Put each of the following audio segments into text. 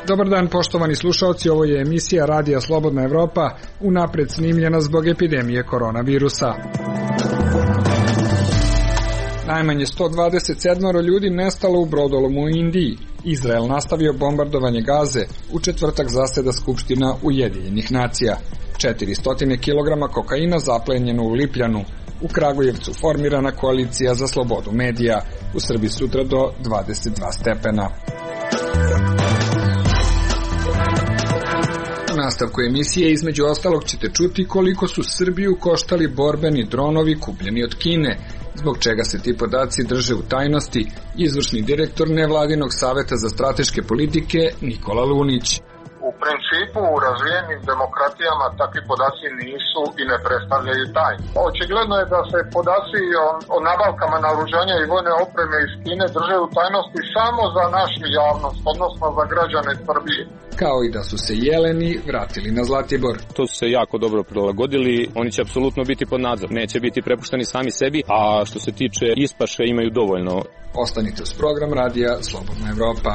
Dobar dan, poštovani slušaoci, ovo je emisija Radija Slobodna Evropa, unapred snimljena zbog epidemije koronavirusa. Najmanje 127 ljudi nestalo u brodolomu u Indiji. Izrael nastavio bombardovanje Gaze, u četvrtak zaseda Skupština Ujedinjenih nacija. 400 kg kokaina zaplenjeno u Lipljanu. U Kragujevcu formirana koalicija za slobodu medija. U Srbiji sutra do 22 stepena. U nastavku emisije između ostalog ćete čuti koliko su Srbiju koštali borbeni dronovi kupljeni od Kine, zbog čega se ti podaci drže u tajnosti, izvršni direktor nevladinog saveta za strateške politike Nikola Lunić. U principu u razvijenim demokratijama takvi podaci nisu i ne predstavljaju tajnu. Očigledno je da se podaci o nabavkama naoružanja i vojne opreme iz Kine drže u tajnosti samo za našu javnost, odnosno za građane Srbije. Kao i da su se jeleni vratili na Zlatibor. To su se jako dobro prilagodili, oni će apsolutno biti pod nadzor, neće biti prepušteni sami sebi, a što se tiče ispaše imaju dovoljno. Ostanite uz program Radija Slobodna Evropa.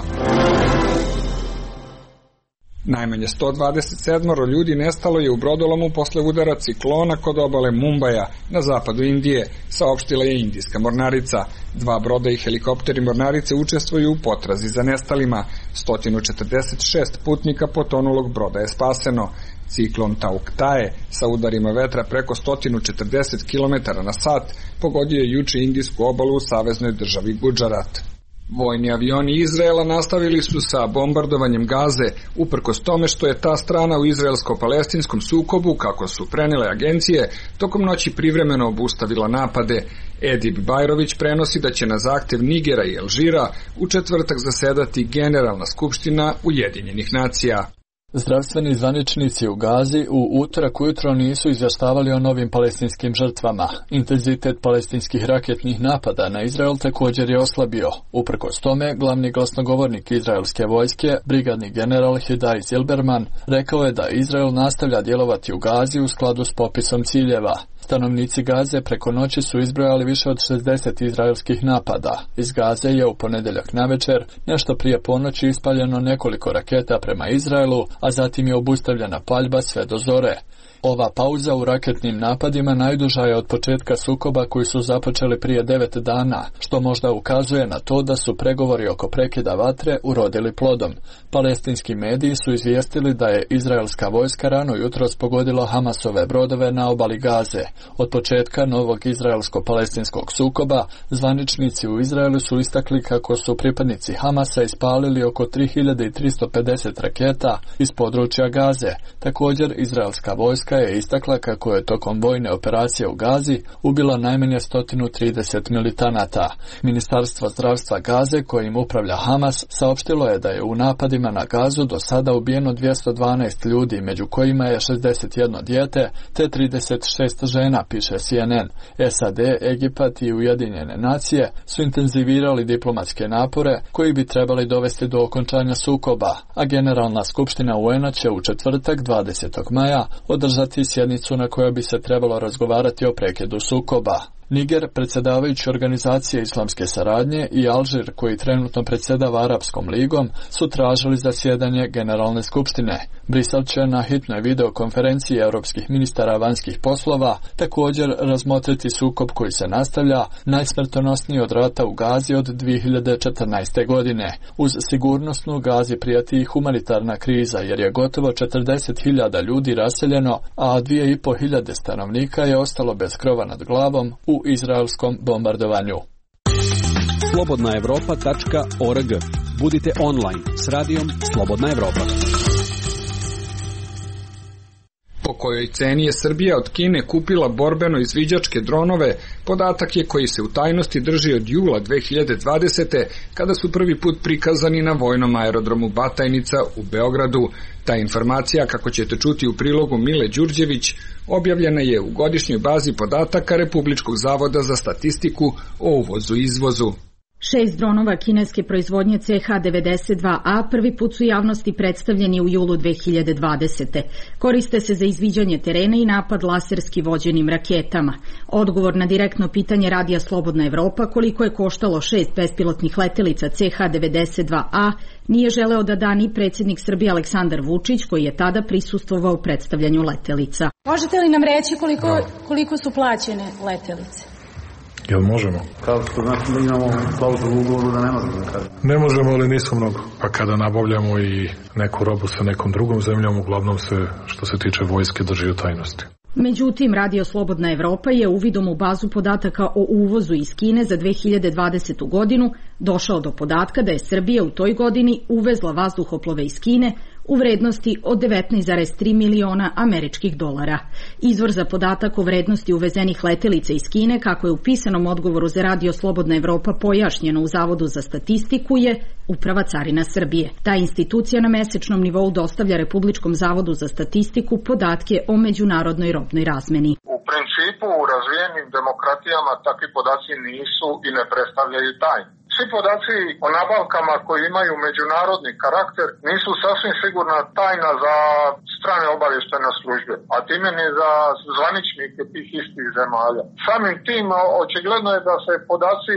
Najmanje 127 ljudi nestalo je u brodolomu posle udara ciklona kod obale Mumbaja na zapadu Indije, saopštila je indijska mornarica. 2 broda i helikopteri mornarice učestvuju u potrazi za nestalima. 146 putnika potonulog broda je spaseno. Ciklon Tauktae sa udarima vetra preko 140 km/h pogodio je juče indijsku obalu u saveznoj državi Gudžarat. Vojni avioni Izraela nastavili su sa bombardovanjem Gaze, uprkos tome što je ta strana u izraelsko-palestinskom sukobu, kako su prenele agencije, tokom noći privremeno obustavila napade. Edip Bajrović prenosi da će na zahtev Nigera i Alžira u četvrtak zasedati Generalna skupština Ujedinjenih nacija. Zdravstveni zvaničnici u Gazi u utorak ujutro nisu izvještavali o novim palestinskim žrtvama. Intenzitet palestinskih raketnih napada na Izrael također je oslabio. Uprkos tome, glavni glasnogovornik izraelske vojske, brigadni general Hidai Zilberman, rekao je da Izrael nastavlja djelovati u Gazi u skladu s popisom ciljeva. Stanovnici Gaze preko noći su izbrojali više od 60 izraelskih napada. Iz Gaze je u ponedjeljak navečer, nešto prije ponoći, ispaljeno nekoliko raketa prema Izraelu, a zatim je obustavljena paljba sve do zore. Ova pauza u raketnim napadima najduža je od početka sukoba koji su započeli prije 9 dana, što možda ukazuje na to da su pregovori oko prekida vatre urodili plodom. Palestinski mediji su izvijestili da je izraelska vojska rano jutros pogodila Hamasove brodove na obali Gaze. Od početka novog izraelsko-palestinskog sukoba, zvaničnici u Izraelu su istakli kako su pripadnici Hamasa ispalili oko 3350 raketa iz područja Gaze. Također, izraelska vojska je istakla kako je tokom vojne operacije u Gazi ubila najmanje 130 militanata. Ministarstvo zdravstva Gaze, kojim upravlja Hamas, saopštilo je da je u napadima na Gazu do sada ubijeno 212 ljudi, među kojima je 61 dijete te 36 žena, piše CNN. SAD, Egipat i Ujedinjene nacije su intenzivirali diplomatske napore koji bi trebali dovesti do okončanja sukoba, a Generalna skupština UN-a će u četvrtak 20. maja održati sjednicu na kojoj bi se trebalo razgovarati o prekidu sukoba. Niger, predsjedavajući organizacije islamske saradnje, i Alžir, koji trenutno predsjedava Arapskom ligom, su tražili zasjedanje Generalne skupštine. Brisel će na hitnoj videokonferenciji europskih ministara vanjskih poslova također razmotriti sukob koji se nastavlja, najsmrtonosniji od rata u Gazi od 2014. godine. Uz sigurnosnu Gazi prijeti i humanitarna kriza, jer je gotovo 40.000 ljudi raseljeno, a 2.500 stanovnika je ostalo bez krova nad glavom u izraelskom bombardovanju. slobodnaevropa.org. Budite online s radijom Slobodna Evropa. Po kojoj ceni je Srbija od Kine kupila borbeno izviđačke dronove, podatak je koji se u tajnosti drži od jula 2020. kada su prvi put prikazani na vojnom aerodromu Batajnica u Beogradu. Ta informacija, kako ćete čuti u prilogu Mile Đurđević, objavljena je u godišnjoj bazi podataka Republičkog zavoda za statistiku o uvozu i izvozu. 6 dronova kineske proizvodnje CH-92A prvi put su javnosti predstavljeni u julu 2020. Koriste se za izviđanje terena i napad laserski vođenim raketama. Odgovor na direktno pitanje Radija Slobodna Evropa koliko je koštalo 6 bespilotnih letelica CH-92A nije želeo da da ni predsjednik Srbije Aleksandar Vučić, koji je tada prisustvovao predstavljanju letelica. Možete li nam reći koliko su plaćene letelice? Jel možemo? Kao što znači da imamo klauzulu u ugovoru da ne možemo da kažemo. Ne možemo, ali nisu mnogo. Pa kada nabavljamo i neku robu sa nekom drugom zemljom, uglavnom se, što se tiče vojske, drži u tajnosti. Međutim, Radio Slobodna Evropa je uvidom u bazu podataka o uvozu iz Kine za 2020. godinu došao do podatka da je Srbija u toj godini uvezla vazduhoplove iz Kine u vrednosti od 19,3 miliona američkih dolara. Izvor za podatak o vrednosti uvezenih letelica iz Kine, kako je u pisanom odgovoru za Radio Slobodna Evropa pojašnjeno u Zavodu za statistiku, je Uprava carina Srbije. Ta institucija na mesečnom nivou dostavlja Republičkom zavodu za statistiku podatke o međunarodnoj robnoj razmeni. U principu u razvijenim demokratijama takvi podaci nisu i ne predstavljaju tajnu. Svi podaci o nabavkama koji imaju međunarodni karakter nisu sasvim sigurna tajna za strane obavještajne službe, a time ni za zvaničnike tih istih zemalja. Samim tim očigledno je da se podaci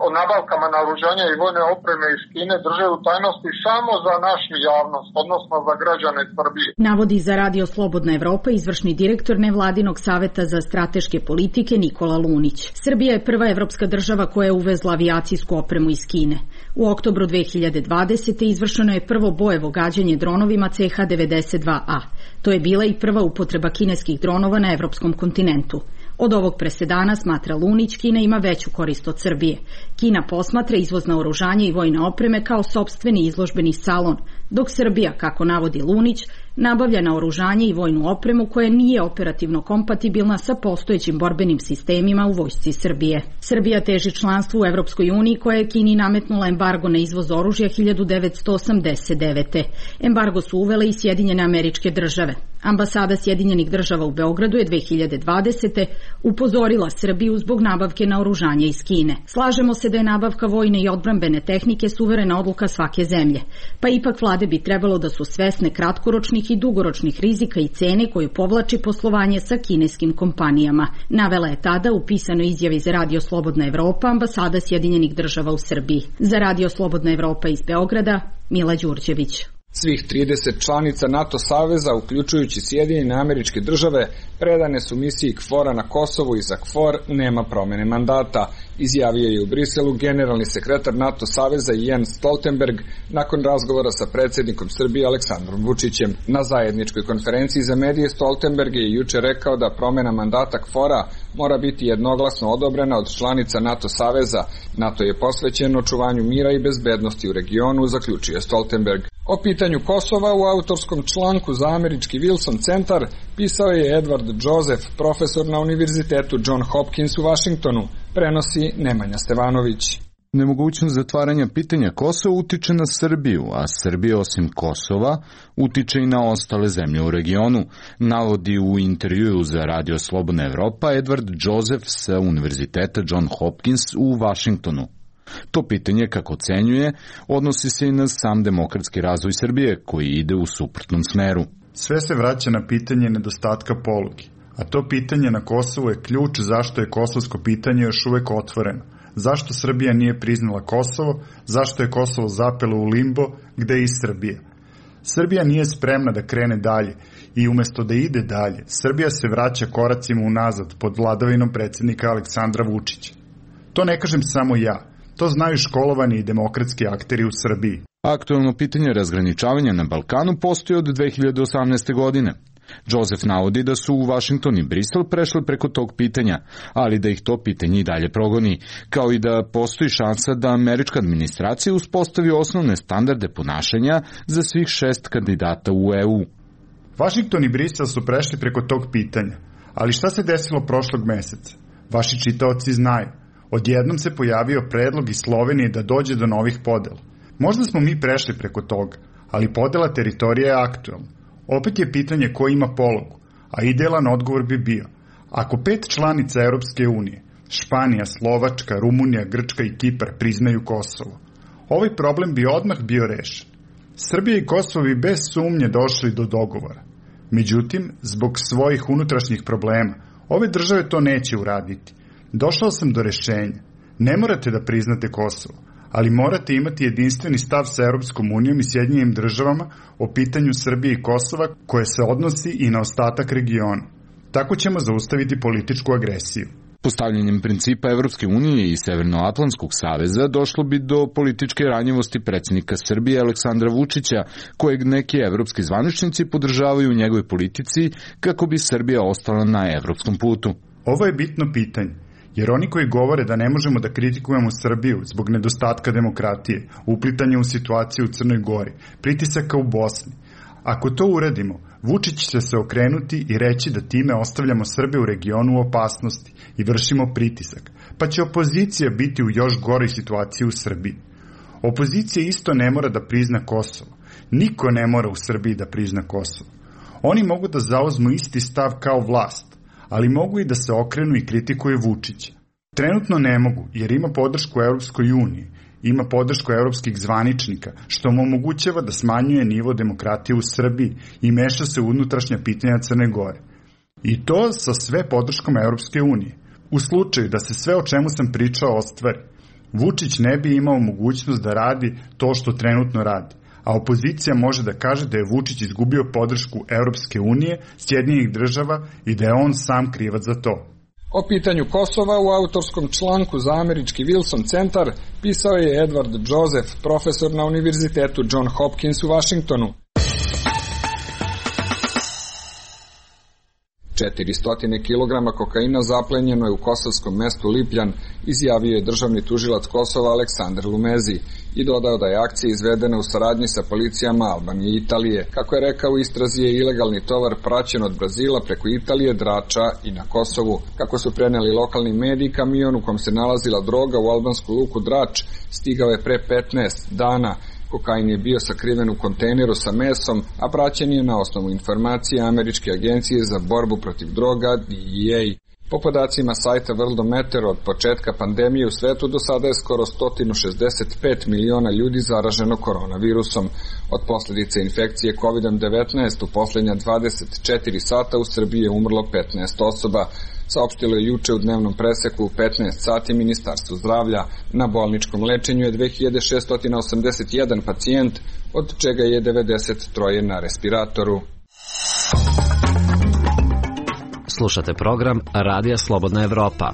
o nabavkama naoružanja i vojne opreme iz Kine drže u tajnosti samo za našu javnost, odnosno za građane Srbije. Navodi za Radio Slobodna Evropa izvršni direktor nevladinog saveta za strateške politike Nikola Lunić. Srbija je prva evropska država koja je uvezla avijacijsku opremu iz Kine. U oktobru 2020. izvršeno je prvo bojevo gađanje dronovima CH-92A. To je bila i prva upotreba kineskih dronova na evropskom kontinentu. Od ovog presedana, smatra Lunić, Kina ima veću korist od Srbije. Kina posmatra izvoz naoružanja i vojne opreme kao sopstveni izložbeni salon, dok Srbija, kako navodi Lunić, nabavlja naoružanje i vojnu opremu koja nije operativno kompatibilna sa postojećim borbenim sistemima u vojsci Srbije. Srbija teži članstvu u Evropskoj uniji koja je Kini nametnula embargo na izvoz oružja 1989. Embargo su uvele i Sjedinjene Američke Države. Ambasada Sjedinjenih Država u Beogradu je 2020. upozorila Srbiju zbog nabavke naoružanja iz Kine. Slažemo se da je nabavka vojne i odbrambene tehnike suverena odluka svake zemlje, pa ipak vlade bi trebalo da su svesne kratkoročnih i dugoročnih rizika i cene koju povlači poslovanje sa kineskim kompanijama. Navela je tada u pisanoj izjavi za Radio Slobodna Evropa ambasada Sjedinjenih Država u Srbiji. Za Radio Slobodna Evropa iz Beograda, Mila Đurđević. Svih 30 članica NATO saveza, uključujući Sjedinjene Američke Države, predane su misiji KFOR-a na Kosovu i za KFOR nema promene mandata, izjavio je u Briselu generalni sekretar NATO saveza Jens Stoltenberg nakon razgovora sa predsjednikom Srbije Aleksandrom Vučićem. Na zajedničkoj konferenciji za medije Stoltenberg je juče rekao da promena mandata KFOR-a mora biti jednoglasno odobrena od članica NATO saveza. NATO je posvećen očuvanju mira i bezbednosti u regionu, zaključio Stoltenberg. O pitanju Kosova u autorskom članku za američki Wilson centar pisao je Edward Joseph, profesor na Univerzitetu John Hopkins u Vašingtonu, prenosi Nemanja Stevanović. Nemogućnost zatvaranja pitanja Kosova utiče na Srbiju, a Srbija osim Kosova utiče i na ostale zemlje u regionu, navodi u intervjuu za Radio Slobodna Evropa Edward Joseph sa Univerziteta John Hopkins u Vašingtonu. To pitanje, kako ocenjuje, odnosi se i na sam demokratski razvoj Srbije, koji ide u suprotnom smeru. Sve se vraća na pitanje nedostatka polugi, a to pitanje na Kosovu je ključ zašto je kosovsko pitanje još uvek otvoreno. Zašto Srbija nije priznala Kosovo, zašto je Kosovo zapelo u limbo, gde je i Srbija. Srbija nije spremna da krene dalje i umesto da ide dalje, Srbija se vraća koracima unazad pod vladavinom predsjednika Aleksandra Vučića. To ne kažem samo ja. To znaju školovani i demokratski akteri u Srbiji. Aktuelno pitanje razgraničavanja na Balkanu postoji od 2018. godine. Joseph navodi da su u Vašington i Brisel prešli preko tog pitanja, ali da ih to pitanje i dalje progoni, kao i da postoji šansa da američka administracija uspostavi osnovne standarde ponašanja za svih 6 kandidata u EU. Vašington i Brisel su prešli preko tog pitanja, ali šta se desilo prošlog meseca? Vaši čitaoci znaju. Odjednom se pojavio predlog iz Slovenije da dođe do novih podela. Možda smo mi prešli preko toga, ali podela teritorija je aktuelna. Opet je pitanje ko ima pologu, a idealan odgovor bi bio. Ako 5 članica Europske unije Španija, Slovačka, Rumunija, Grčka i Kipar priznaju Kosovo. Ovaj problem bi odmah bio rešen. Srbija i Kosovo bi bez sumnje došli do dogovora. Međutim, zbog svojih unutrašnjih problema, ove države to neće uraditi. Došao sam do rešenja. Ne morate da priznate Kosovo, ali morate imati jedinstveni stav sa Europskom unijom i Sjedinjenim državama o pitanju Srbije i Kosova koje se odnosi i na ostatak regiona. Tako ćemo zaustaviti političku agresiju. Postavljanjem principa Evropske unije i Severnoatlantskog saveza došlo bi do političke ranjivosti predsjednika Srbije Aleksandra Vučića, kojeg neki evropski zvaničnici podržavaju u njegovoj politici kako bi Srbija ostala na evropskom putu. Ovo je bitno pitanje, jer oni koji govore da ne možemo da kritikujemo Srbiju zbog nedostatka demokratije, uplitanja u situaciju u Crnoj Gori, pritisaka u Bosni, ako to uradimo, Vučić će se okrenuti i reći da time ostavljamo Srbe u regionu u opasnosti i vršimo pritisak, pa će opozicija biti u još goroj situaciji u Srbiji. Opozicija isto ne mora da prizna Kosovo. Niko ne mora u Srbiji da prizna Kosovo. Oni mogu da zauzmu isti stav kao vlast, ali mogu i da se okrenu i kritikuju Vučića. Trenutno ne mogu, jer ima podršku Europskoj uniji, ima podršku evropskih zvaničnika, što mu omogućava da smanjuje nivo demokratije u Srbiji i meša se u unutrašnja pitanja Crne Gore. I to sa sve podrškom Evropske unije. U slučaju da se sve o čemu sam pričao ostvari, Vučić ne bi imao mogućnost da radi to što trenutno radi, a opozicija može da kaže da je Vučić izgubio podršku Evropske unije, Sjedinjenih država i da je on sam krivac za to. O pitanju Kosova u autorskom članku za američki Wilson centar pisao je Edward Joseph, profesor na Univerzitetu John Hopkins u Vašingtonu. 400 kg kokaina zaplenjeno je u kosovskom mestu Lipljan, izjavio je državni tužilac Kosova Aleksandar Lumezi i dodao da je akcija izvedena u saradnji sa policijama Albanije i Italije. Kako je rekao, u istrazi je ilegalni tovar praćen od Brazila preko Italije, Drača i na Kosovu. Kako su preneli lokalni mediji, kamion u kom se nalazila droga u albansku luku Drač stigao je pre 15 dana. Kokain je bio sakriven u kontejneru sa mesom, a praćen je na osnovu informacije Američke agencije za borbu protiv droga DEA. Po podacima sajta Worldometer, od početka pandemije u svetu do sada je skoro 165 miliona ljudi zaraženo koronavirusom. Od posljedice infekcije COVID-19 u posljednja 24 sata u Srbiji je umrlo 15 osoba. Saopštilo je juče u dnevnom preseku u 15 sati Ministarstvo zdravlja. Na bolničkom lečenju je 2681 pacijent, od čega je 93 na respiratoru. Slušate program Radija Slobodna Evropa.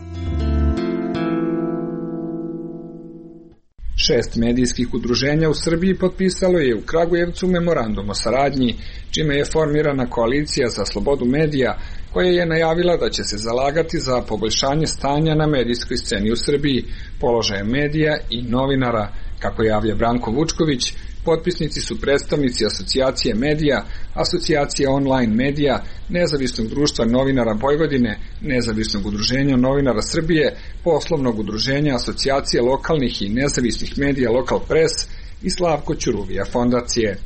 6 medijskih udruženja u Srbiji potpisalo je u Kragujevcu memorandum o saradnji, čime je formirana koalicija za slobodu medija, koja je najavila da će se zalagati za poboljšanje stanja na medijskoj sceni u Srbiji, položaja medija i novinara. Kako javlja Branko Vučković, potpisnici su predstavnici Asocijacije medija, Asocijacije online medija, Nezavisnog društva novinara Vojvodine, Nezavisnog udruženja novinara Srbije, Poslovnog udruženja Asocijacije lokalnih i nezavisnih medija Lokal Pres i Slavko Ćuruvija fondacije.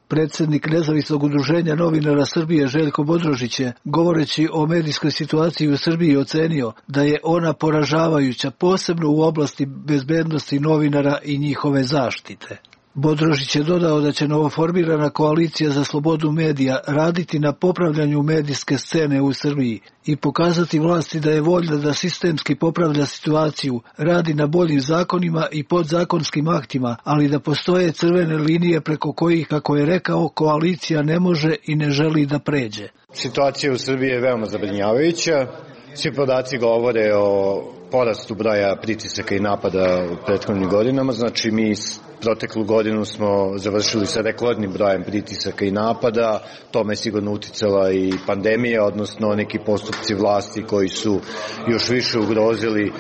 Predsjednik Nezavisnog udruženja novinara Srbije Željko Bodrožić je, govoreći o medijskoj situaciji u Srbiji, ocenio da je ona poražavajuća, posebno u oblasti bezbednosti novinara i njihove zaštite. Bodrožić je dodao da će novoformirana koalicija za slobodu medija raditi na popravljanju medijske scene u Srbiji i pokazati vlasti da je voljna da sistemski popravlja situaciju, radi na boljim zakonima i podzakonskim aktima, ali da postoje crvene linije preko kojih, kako je rekao, koalicija ne može i ne želi da pređe. Situacija u Srbiji je veoma zabrinjavajuća. Svi podaci govore o porastu broja pritisaka i napada u prethodnim godinama, znači mi proteklu godinu smo završili sa rekordnim brojem pritisaka i napada, tome je sigurno uticala i pandemija, odnosno neki postupci vlasti koji su još više ugrozili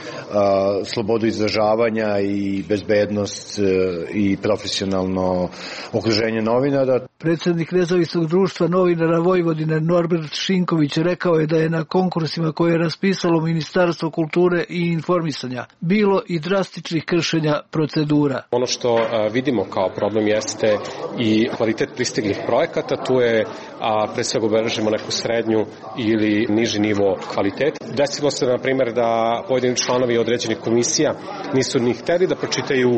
slobodu izražavanja i bezbednost i profesionalno okruženje novinara. Predsjednik Nezavisnog društva novinara Vojvodine Norbert Šinković rekao je da je na konkursima koje je raspisalo Ministarstvo kulture i informisanja bilo i drastičnih kršenja procedura. Ono što vidimo kao problem jeste i kvalitet pristiglih projekata, tu je pre svega obeležimo neku srednju ili niži nivo kvaliteta. Desilo se, na primjer, da pojedini članovi određenih komisija nisu ni hteli da pročitaju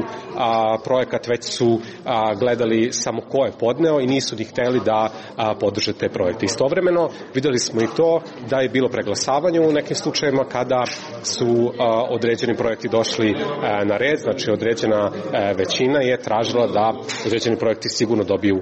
projekat, već su gledali samo ko je podneo i nisu ni hteli da podrže te projekte. Istovremeno videli smo i to da je bilo preglasavanje u nekim slučajevima kada su određeni projekti došli na red, znači određena većina je tražila da određeni projekti sigurno dobiju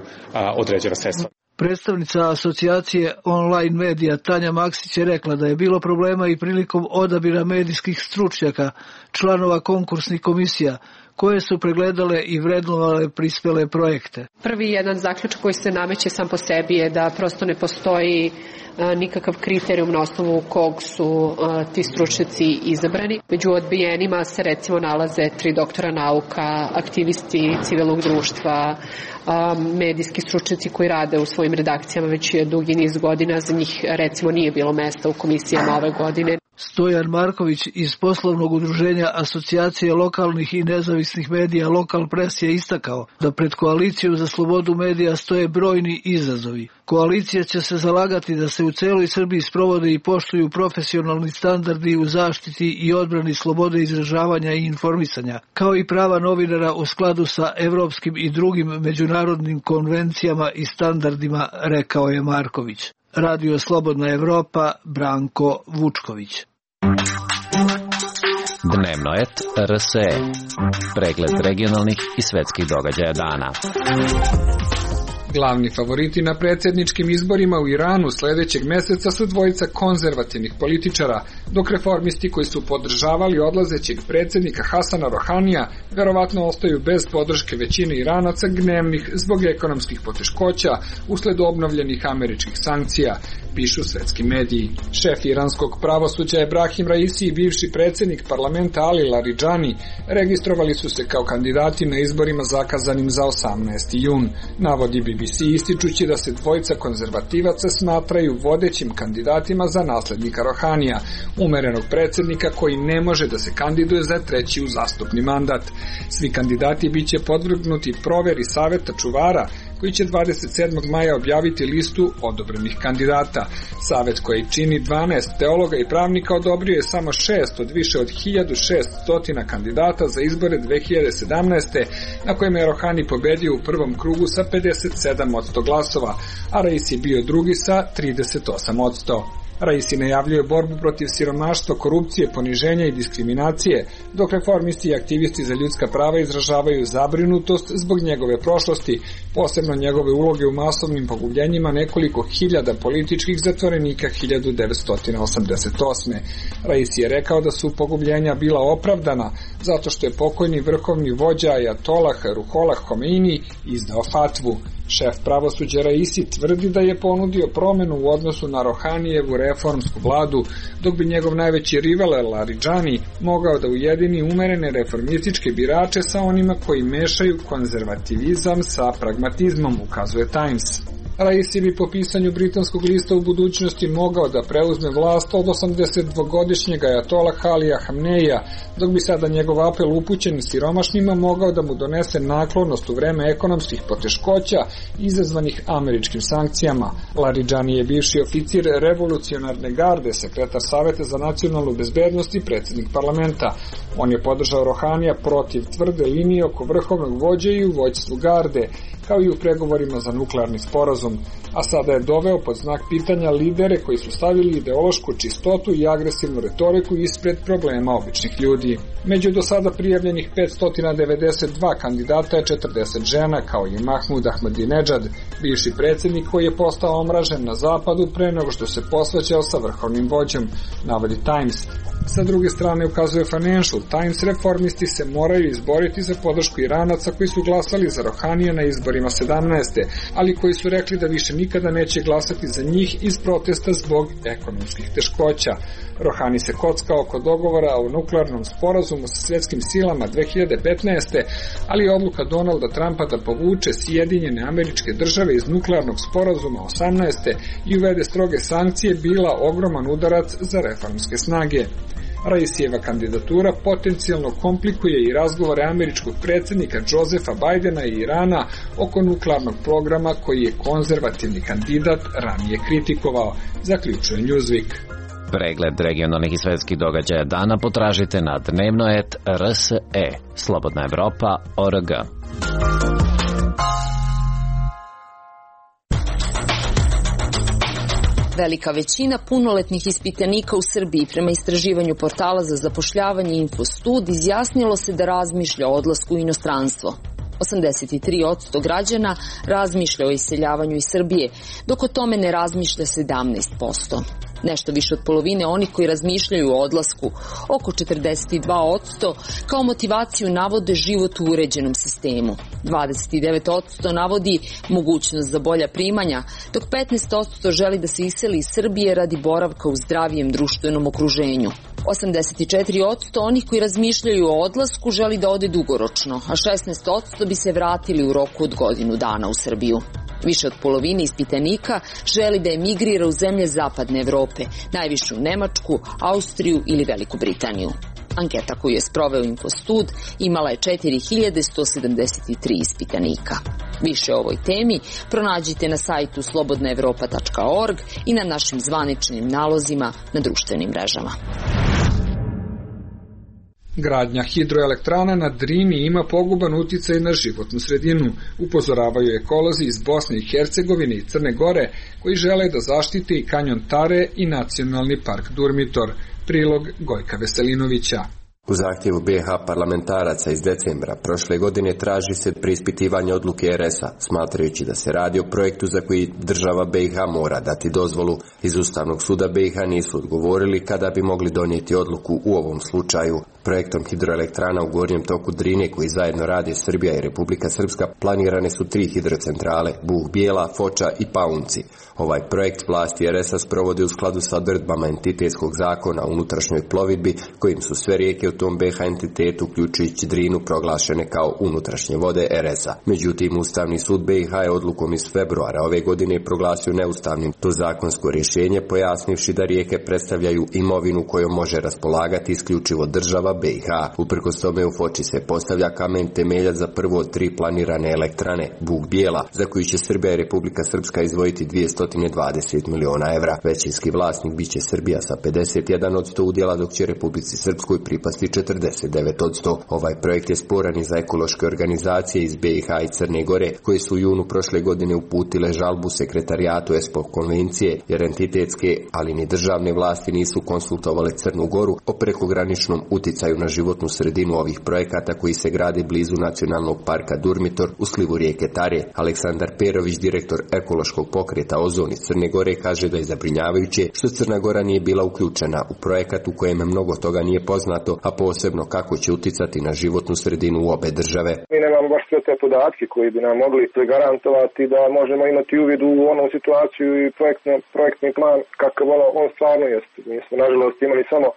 određena sredstva. Predstavnica asocijacije online medija Tanja Maksić je rekla da je bilo problema i prilikom odabira medijskih stručnjaka, članova konkursnih komisija, koje su pregledale i vrednovale prispele projekte. Prvi jedan zaključak koji se nameće sam po sebi je da prosto ne postoji nikakav kriterijum na osnovu kog su ti stručnjaci izabrani. Među odbijenima se recimo nalaze 3 doktora nauka, aktivisti civilnog društva, medijski stručnjaci koji rade u svojim redakcijama već dugi niz godina, za njih recimo nije bilo mesta u komisijama ove godine. Stojan Marković iz poslovnog udruženja Asocijacije lokalnih i nezavisnih medija Lokal Pres je istakao da pred koalicijom za slobodu medija stoje brojni izazovi. Koalicija će se zalagati da se u celoj Srbiji sprovode i poštuju profesionalni standardi u zaštiti i odbrani slobode izražavanja i informisanja, kao i prava novinara u skladu sa evropskim i drugim međunarodnim konvencijama i standardima, rekao je Marković. Radio Slobodna Evropa, Branko Vučković. Dnevnoet RSE. Pregled regionalnih i svetskih događaja dana. Glavni favoriti na predsjedničkim izborima u Iranu sljedećeg meseca su dvojica konzervativnih političara, dok reformisti koji su podržavali odlazećeg predsjednika Hasana Rohanija verovatno ostaju bez podrške većine Iranaca gnevnih zbog ekonomskih poteškoća usled obnovljenih američkih sankcija, pišu svetski mediji. Šef iranskog pravosuđa Ebrahim Raisi i bivši predsjednik parlamenta Ali Laridžani registrovali su se kao kandidati na izborima zakazanim za 18. jun, navodi BBC ističući da se dvojica konzervativaca smatraju vodećim kandidatima za naslednika Rohanija, umerenog predsjednika koji ne može da se kandiduje za treći uzastopni mandat. Svi kandidati biće podvrgnuti proveri saveta čuvara koji će 27. maja objaviti listu odobrenih kandidata. Savet koji čini 12 teologa i pravnika odobrio je samo 6 od više od 1600 kandidata za izbore 2017. na kojima je Rohani pobedio u prvom krugu sa 57% glasova, a Raisi bio drugi sa 38%. Raisi najavljuje borbu protiv siromaštva, korupcije, poniženja i diskriminacije, dok reformisti i aktivisti za ljudska prava izražavaju zabrinutost zbog njegove prošlosti, posebno njegove uloge u masovnim pogubljenjima nekoliko hiljada političkih zatvorenika 1988. Raisi je rekao da su pogubljenja bila opravdana zato što je pokojni vrhovni vođa Ajatolah Ruhollah Homeini izdao fatvu. Šef pravosuđa Raisi tvrdi da je ponudio promjenu u odnosu na Rohanijevu reformsku vladu, dok bi njegov najveći rival Laridžani mogao da ujedini umerene reformističke birače sa onima koji mešaju konzervativizam sa pragmatizmom, ukazuje Times. Raisi bi po pisanju britanskog lista u budućnosti mogao da preuzme vlast od 82-godišnjeg Ajatolah Alija Hamneija, dok bi sada njegov apel upućen siromašnima mogao da mu donese naklonost u vreme ekonomskih poteškoća izazvanih američkim sankcijama. Laridžani je bivši oficir revolucionarne garde, sekretar Saveta za nacionalnu bezbednost i predsjednik parlamenta. On je podržao Rohanija protiv tvrde linije oko vrhovnog vođe i u vođstvu garde, kao i u pregovorima za nuklearni sporazum, a sada je doveo pod znak pitanja lidere koji su stavili ideološku čistotu i agresivnu retoriku ispred problema običnih ljudi. Među do sada prijavljenih 592 kandidata je 40 žena, kao i Mahmud Ahmadinejad, bivši predsjednik koji je postao omražen na zapadu pre nego što se posvađao sa vrhovnim vođom, navodi Times. Sa druge strane, ukazuje Financial Times, reformisti se moraju izboriti za podršku Iranaca koji su glasali za Rohanija na izborima 17. ali koji su rekli da više nikada neće glasati za njih iz protesta zbog ekonomskih teškoća. Rohani se kocka oko dogovora o nuklearnom sporazumu sa svjetskim silama 2015. ali je odluka Donalda Trumpa da povuče Sjedinjene Američke Države iz nuklearnog sporazuma 18. i uvede stroge sankcije bila ogroman udarac za reformske snage. Raisijeva kandidatura potencijalno komplikuje i razgovore američkog predsjednika Josefa Bidena i Irana oko nuklearnog programa koji je konzervativni kandidat ranije kritikovao, zaključuje Newsweek. Pregled regionalnih i svetskih događaja dana potražite na dnevno.rse, slobodnaevropa.org. Velika većina punoletnih ispitanika u Srbiji prema istraživanju portala za zapošljavanje Infostud izjasnilo se da razmišlja o odlasku u inostranstvo. 83% građana razmišlja o iseljavanju iz Srbije, dok o tome ne razmišlja 17%. Nešto više od polovine onih koji razmišljaju o odlasku, oko 42%, kao motivaciju navode život u uređenom sistemu. 29% navodi mogućnost za bolja primanja, dok 15% želi da se iseli iz Srbije radi boravka u zdravijem društvenom okruženju. 84% onih koji razmišljaju o odlasku želi da ode dugoročno, a 16% bi se vratili u roku od godinu dana u Srbiju. Više od polovine ispitanika želi da emigrira u zemlje zapadne Evrope, najviše u Nemačku, Austriju ili Veliku Britaniju. Anketa koju je sproveo Infostud imala je 4173 ispitanika. Više o ovoj temi pronađite na sajtu slobodnaevropa.org i na našim zvaničnim nalozima na društvenim mrežama. Gradnja hidroelektrana na Drini ima poguban uticaj na životnu sredinu, upozoravaju ekolozi iz Bosne i Hercegovine i Crne Gore, koji žele da zaštite i kanjon Tare i nacionalni park Durmitor. Prilog Gojka Veselinovića. U zahtjevu BiH parlamentaraca iz decembra prošle godine traži se preispitivanje odluke RS-a, smatrajući da se radi o projektu za koji država BiH mora dati dozvolu. Iz Ustavnog suda BiH nisu odgovorili kada bi mogli donijeti odluku u ovom slučaju. Projektom hidroelektrana u gornjem toku Drine, koji zajedno rade Srbija i Republika Srpska, planirane su 3 hidrocentrale, Bug Bijela, Foča i Paunci. Ovaj projekt vlasti RS-a sprovode u skladu sa odredbama entitetskog zakona o unutrašnjoj plovidbi, kojim su sve rijeke u tom BiH entitetu, uključujući Drinu, proglašene kao unutrašnje vode RS-a. Međutim, Ustavni sud BiH je odlukom iz februara ove godine proglasio neustavnim to zakonsko rješenje, pojasnivši da rijeke predstavljaju imovinu kojom može raspolagati isključivo država BiH. Uprkos tome u Foči se postavlja kamen temeljac za prvo od 3 planirane elektrane, Bug Bijela, za koju će Srbija i Republika Srpska izdvojiti 220 miliona evra. Većinski vlasnik biće Srbija sa 51% udjela, dok će Republici Srpskoj pripasti 49%. Ovaj projekt je sporan i za ekološke organizacije iz BiH i Crne Gore, koje su u junu prošle godine uputile žalbu sekretarijatu ESPO konvencije, jer entitetske, ali ni državne vlasti nisu konsultovale Crnu Goru o prekograničnom uticaju na životnu sredinu ovih projekata koji se grade blizu nacionalnog parka Durmitor u slivu rijeke Tare. Aleksandar Perović, direktor ekološkog pokreta Ozon iz Crne Gore, kaže da je zabrinjavajuće što Crna Gora nije bila uključena u projekat u kojem mnogo toga nije poznato, a posebno kako će uticati na životnu sredinu u obe države. Mi nemamo baš sve te podatke koji bi nam mogli garantovati da možemo imati uvid u onu situaciju i projektni plan kakav on stvarno jeste. Mi smo nažalost imali samo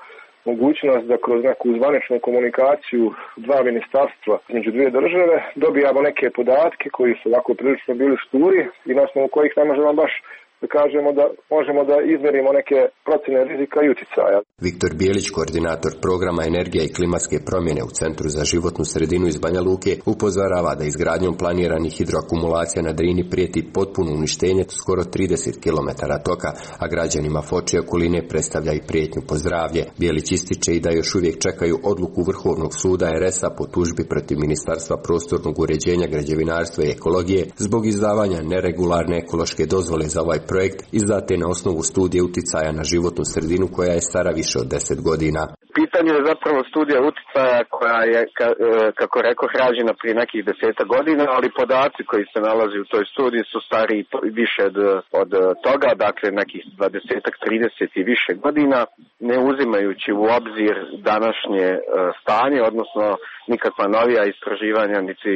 mogućnost da kroz neku zvaničnu komunikaciju 2 ministarstva između 2 države dobijamo neke podatke koji su ovako prilično bili šturi i na osnovu kojih ne možemo baš da kažemo da možemo da izmerimo neke procjene rizika i uticaja. Viktor Bijelić, koordinator programa Energija i klimatske promjene u Centru za životnu sredinu iz Banja Luke, upozorava da izgradnjom planiranih hidroakumulacija na Drini prijeti potpuno uništenje skoro 30 km toka, a građanima Foče i okoline predstavlja i prijetnju po zdravlje. Bijelić ističe i da još uvijek čekaju odluku Vrhovnog suda RS-a po tužbi protiv Ministarstva prostornog uređenja, građevinarstva i ekologije zbog izdavanja neregularne ekološke dozvole za ovaj projekt izdate na osnovu studije uticaja na životnu sredinu koja je stara više od 10 godina. Pitanje je zapravo studija uticaja koja je, kako rekoh, rađena prije nekih 10 godina, ali podaci koji se nalazi u toj studiji su stari više od toga, dakle nekih 20-30 i više godina, ne uzimajući u obzir današnje stanje, odnosno nikakva novija istraživanja niti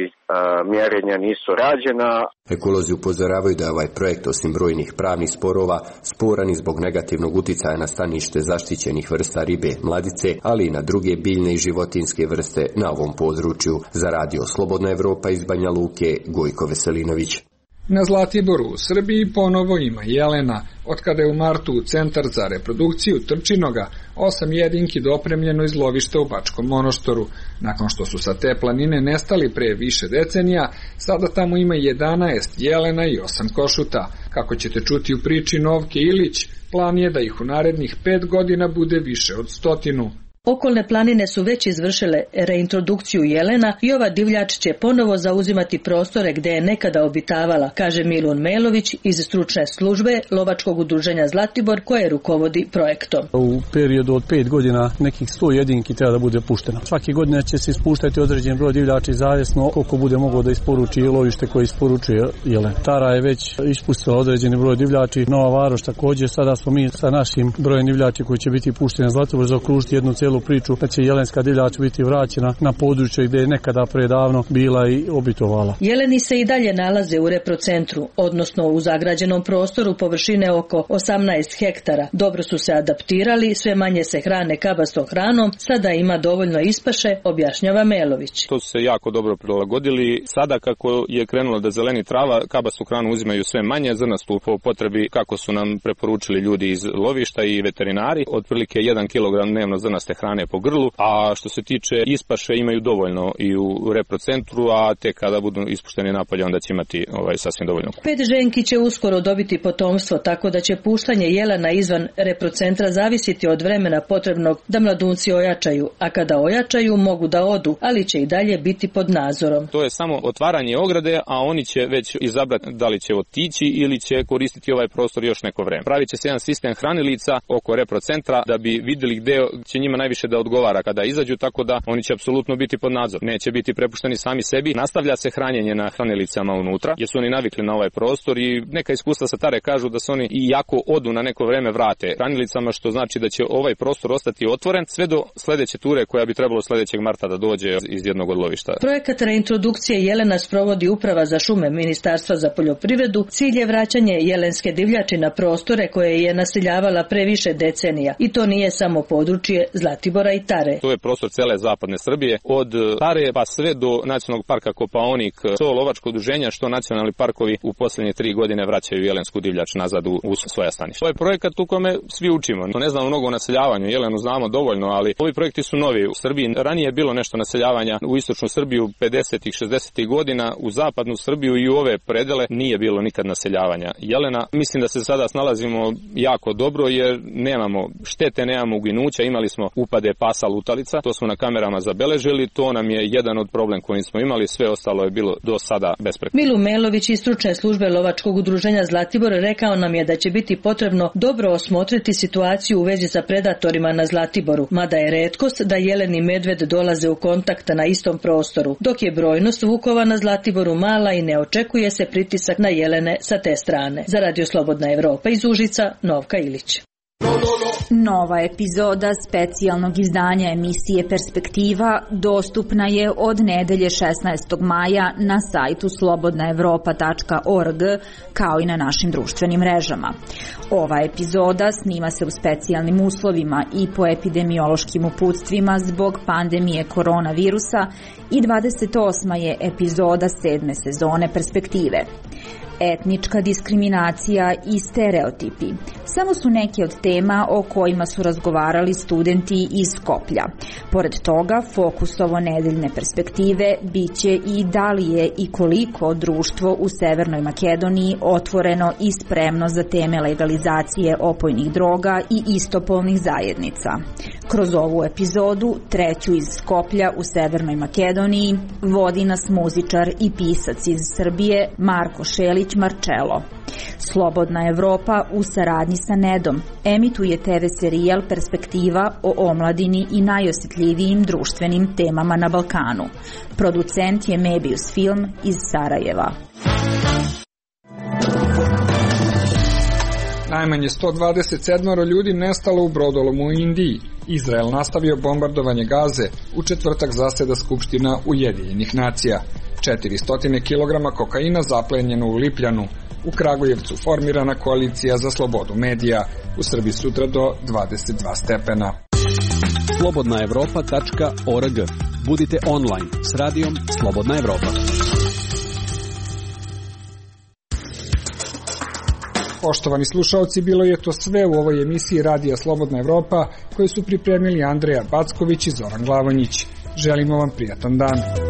mjerenja nisu rađena. Ekolozi upozoravaju da je ovaj projekt osim brojnih pravnih sporova sporan i zbog negativnog uticaja na stanište zaštićenih vrsta ribe mladice, ali i na druge biljne i životinjske vrste na ovom području. Za radio Slobodna Evropa iz Banja Luke, Gojko Veselinović. Na Zlatiboru u Srbiji ponovo ima jelena, otkada je u martu u Centar za reprodukciju Trčinoga 8 jedinki dopremljeno iz lovišta u Bačkom Monoštoru. Nakon što su sa te planine nestali pre više decenija, sada tamo ima 11 jelena i 8 košuta. Kako ćete čuti u priči Novke Ilić, plan je da ih u narednih 5 godina bude više od 100. Okolne planine su već izvršile reintrodukciju jelena i ova divljač će ponovo zauzimati prostore gde je nekada obitavala, kaže Milun Melović iz stručne službe Lovačkog udruženja Zlatibor koje rukovodi projektom. U periodu od 5 godina nekih 100 jedinki treba da bude pušteno. Svake godine će se ispuštati određen broj divljači zavisno koliko bude moglo da isporuči lovište koje isporučuje jelen. Tara je već ispustila određeni broj divljači, Nova Varoš također, sada smo mi sa našim brojem divljači koji će biti pušteni na Zlatibor zaokružiti jednu celu priču da će jelenska divljač biti vraćena na područje gdje je nekada predavno bila i obitovala. Jeleni se i dalje nalaze u reprocentru, odnosno u zagrađenom prostoru površine oko 18 hektara. Dobro su se adaptirali, sve manje se hrane kabastom hranom, sada ima dovoljno ispaše, objašnjava Melović. To su se jako dobro prilagodili. Sada kako je krenulo da zeleni trava, kabastu hranu uzimaju sve manje, zrnastu po potrebi kako su nam preporučili ljudi iz lovišta i veterinari, otprilike 1 kg dnevno zrnaste hrane po grlu, a što se tiče ispaše imaju dovoljno i u reprocentru, a tek kada budu ispušteni napolje onda će imati sasvim dovoljno. 5 ženki će uskoro dobiti potomstvo, tako da će puštanje jelena izvan reprocentra zavisiti od vremena potrebnog da mladunci ojačaju, a kada ojačaju mogu da odu, ali će i dalje biti pod nadzorom. To je samo otvaranje ograde, a oni će već izabrati da li će otići ili će koristiti ovaj prostor još neko vreme. Pravit će se jedan sistem hranilica oko reprocentra da bi vidjeli gde će njima najviše da odgovara kada izađu, tako da oni će apsolutno biti pod nadzorom. Neće biti prepušteni sami sebi. Nastavlja se hranjenje na hranilićama unutra, jer su oni navikli na ovaj prostor i neka iskustva sa Tare kažu da se oni i jako odu na neko vreme vrate hranilićama, što znači da će ovaj prostor ostati otvoren sve do sledeće ture koja bi trebalo sledećeg marta da dođe iz jednog od lovišta. Projekat reintrodukcije jelena sprovodi Uprava za šume Ministarstva za poljoprivredu. Cilj je vraćanje jelenske divljači na prostore koje je naseljavala pre više decenija i to nije samo područje Zlatibora i Tare. To je prostor cele zapadne Srbije, od Tare pa sve do Nacionalnog parka Kopaonik, što lovačko udruženja, što nacionalni parkovi u poslednje 3 godine vraćaju jelensku divljač nazad u svoja staništa. Ovo je projekat u kome svi učimo. Ne znamo mnogo o naseljavanju, jelenu znamo dovoljno, ali ovi projekti su novi u Srbiji. Ranije je bilo nešto naseljavanja u istočnu Srbiju 50-ih, 60-ih godina, u zapadnu Srbiju i u ove predele nije bilo nikad naseljavanja jelena. Mislim da se sada snalazimo jako dobro jer nemamo štete, nemamo uginuća, imali smo upade pasa lutalica, to smo na kamerama zabeležili, to nam je jedan od problem koji smo imali, sve ostalo je bilo do sada besprekorno. Milu Melović iz stručne službe Lovačkog udruženja Zlatibor rekao nam je da će biti potrebno dobro osmotriti situaciju u vezi sa predatorima na Zlatiboru, mada je retkost da jelen i medved dolaze u kontakt na istom prostoru, dok je brojnost vukova na Zlatiboru mala i ne očekuje se pritisak na jelene sa te strane. Za Radio Slobodna Evropa iz Užica, Novka Ilić. Nova epizoda specijalnog izdanja emisije Perspektiva dostupna je od nedelje 16. maja na sajtu slobodnaevropa.org kao i na našim društvenim mrežama. Ova epizoda snima se u specijalnim uslovima i po epidemiološkim uputstvima zbog pandemije koronavirusa i 28. je epizoda 7. sezone Perspektive. Etnička diskriminacija i stereotipi samo su neke od tema o kojima su razgovarali studenti iz Skoplja. Pored toga, fokus ovo nedeljne perspektive biće i da li je i koliko društvo u Severnoj Makedoniji otvoreno i spremno za teme legalizacije opojnih droga i istopolnih zajednica. Kroz ovu epizodu, treću iz Skoplja u Severnoj Makedoniji, vodi nas muzičar i pisac iz Srbije Marko Šelić Marčelo. Slobodna Evropa u saradnji sa Nedom emituje TV serijal Perspektiva o omladini i najosjetljivijim društvenim temama na Balkanu. Producent je Mebius Film iz Sarajeva. Najmanje 127 ljudi nestalo u brodolomu u Indiji. Izrael nastavio bombardovanje Gaze, u četvrtak zaseda Skupština Ujedinjenih nacija. 400 kg kokaina zaplenjeno u Lipljanu. U Kragujevcu formirana koalicija za slobodu medija. U Srbiji sutra do 22 stepena. slobodnaevropa.org. Budite online s radijom Slobodna Evropa. Poštovani slušaoci, bilo je to sve u ovoj emisiji Radija Slobodna Evropa koju su pripremili Andreja Backović i Zoran Glavonjić. Želimo vam prijatan dan.